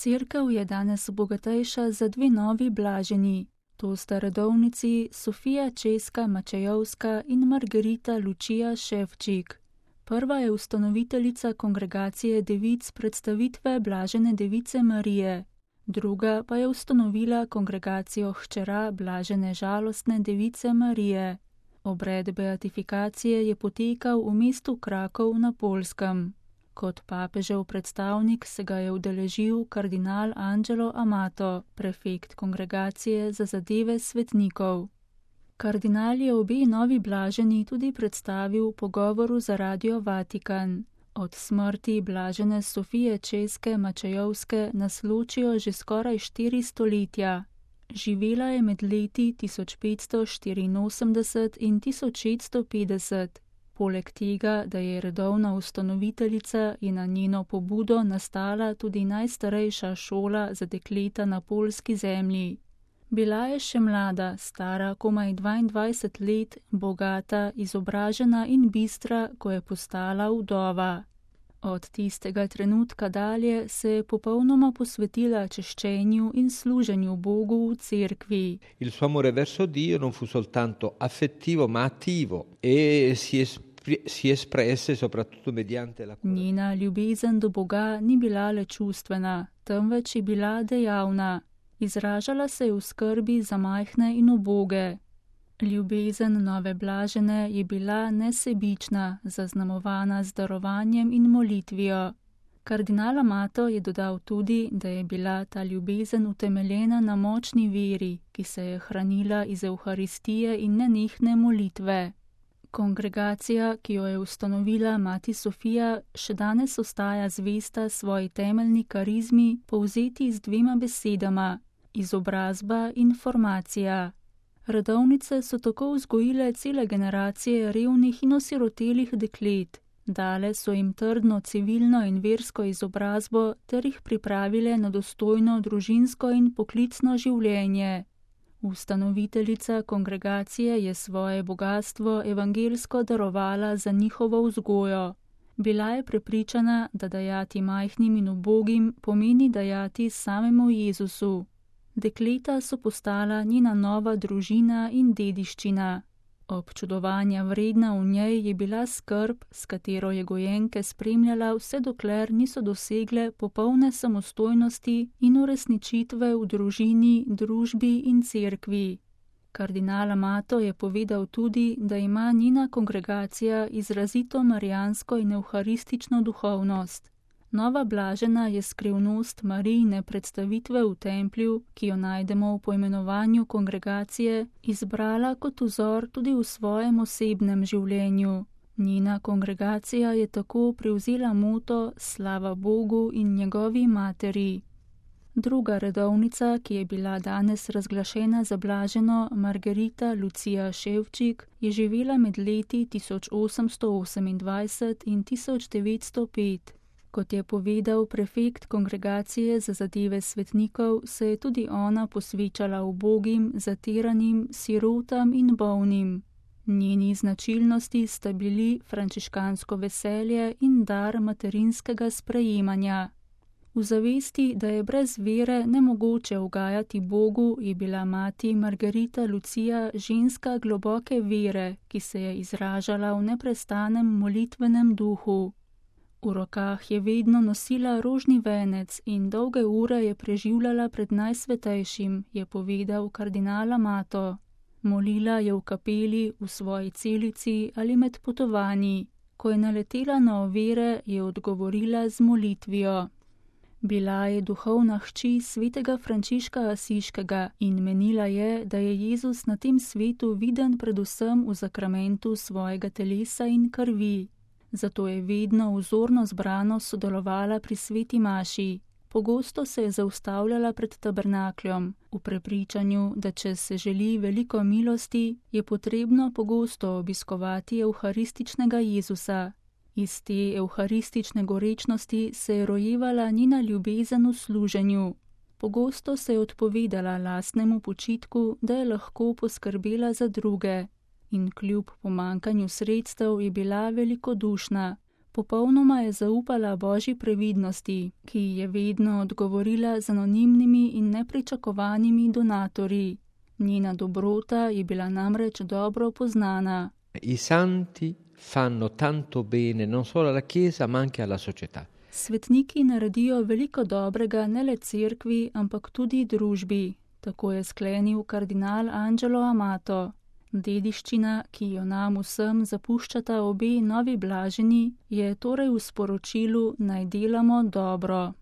Cerkev je danes bogatejša za dve novi blaženi. To sta redovnici Sofija Česka Mačejovska in Margarita Lučija Ševčik. Prva je ustanoviteljica kongregacije devic predstavitve Blažene device Marije, druga pa je ustanovila kongregacijo hčera Blažene žalostne device Marije. Obred beatifikacije je potekal v mestu Krakov na Poljskem. Kot papežev predstavnik se ga je udeležil kardinal Angelo Amato, prefekt kongregacije za zadeve svetnikov. Kardinal je obe novi blaženi tudi predstavil v pogovoru za Radio Vatikan. Od smrti blažene Sofije Česke Mačejovske nas ločijo že skoraj 4 stoletja. Živela je med leti 1584 in 1650. Poleg tega, da je redovna ustanoviteljica, je na njeno pobudo nastala tudi najstarejša šola za dekleta na poljski zemlji. Bila je še mlada, stara komaj 22 let, bogata, izobražena in bistra, ko je postala vdova. Od tistega trenutka dalje se je popolnoma posvetila češčenju in služenju Bogu v cerkvi. Il suo amore verso Dio non fu soltanto affettivo, ma attivo e si espresse soprattutto mediante la cura. Njena ljubezen do Boga ni bila le čustvena, temveč je bila dejavna. Izražala se je v skrbi za majhne in uboge. Ljubezen nove blažene je bila nesebična, zaznamovana z darovanjem in molitvijo. Kardinal Amato je dodal tudi, da je bila ta ljubezen utemeljena na močni veri, ki se je hranila iz Evharistije in nenehne molitve. Kongregacija, ki jo je ustanovila mati Sofija, še danes ostaja zvesta svoji temeljni karizmi, povzeti z 2 besedama: izobrazba in formacija. Redovnice so tako vzgojile cele generacije revnih in osirotelih deklet, dale so jim trdno civilno in versko izobrazbo ter jih pripravile na dostojno družinsko in poklicno življenje. Ustanoviteljica kongregacije je svoje bogastvo evangelsko darovala za njihovo vzgojo. Bila je prepričana, da dajati majhnim in ubogim pomeni dajati samemu Jezusu. Dekleta so postala njena nova družina in dediščina. Občudovanja vredna v njej je bila skrb, s katero je gojenke spremljala vse dokler niso dosegle popolne samostojnosti in uresničitve v družini, družbi in cerkvi. Kardinal Amato je povedal tudi, da ima njena kongregacija izrazito marijansko in evharistično duhovnost. Nova blažena je skrivnost Marijine predstavitve v templju, ki jo najdemo v poimenovanju kongregacije, izbrala kot vzor tudi v svojem osebnem življenju. Njena kongregacija je tako prevzela moto Slava Bogu in njegovi materi. Druga redovnica, ki je bila danes razglašena za blaženo, Margarita Lučija Ševčik, je živela med leti 1828 in 1905. Kot je povedal prefekt kongregacije za zadeve svetnikov, se je tudi ona posvečala ubogim, zatiranim, sirotam in bolnim. Njeni značilnosti sta bili frančiškansko veselje in dar materinskega sprejemanja. V zavesti, da je brez vere nemogoče ugajati Bogu, je bila mati Margarita Lučija ženska globoke vere, ki se je izražala v neprestanem molitvenem duhu. V rokah je vedno nosila rožni venec in dolge ure je preživljala pred Najsvetejšim, je povedal kardinal Amato. Molila je v kapeli, v svoji celici ali med potovanji. Ko je naletela na ovire, je odgovorila z molitvijo. Bila je duhovna hči svetega Frančiška Asiškega in menila je, da je Jezus na tem svetu viden predvsem v zakramentu svojega telesa in krvi. Zato je vedno vzorno zbrano sodelovala pri sveti maši. Pogosto se je zaustavljala pred tabernakljem, v prepričanju, da če se želi veliko milosti, je potrebno pogosto obiskovati evharističnega Jezusa. Iz te evharistične gorečnosti se je rojevala njena ljubezen v služenju. Pogosto se je odpovedala lastnemu počitku, da je lahko poskrbela za druge. In kljub pomankanju sredstev je bila velikodušna. Popolnoma je zaupala Božji previdnosti, ki ji je vedno odgovorila z anonimnimi in nepričakovanimi donatorji. Njena dobrota je bila namreč dobro poznana. I santi fanno tanto bene non solo alla Chiesa ma anche alla società. Svetniki naredijo veliko dobrega ne le cerkvi, ampak tudi družbi, tako je sklenil kardinal Angelo Amato. Dediščina, ki jo nam vsem zapuščata obe novi blaženi, je torej v sporočilu naj delamo dobro.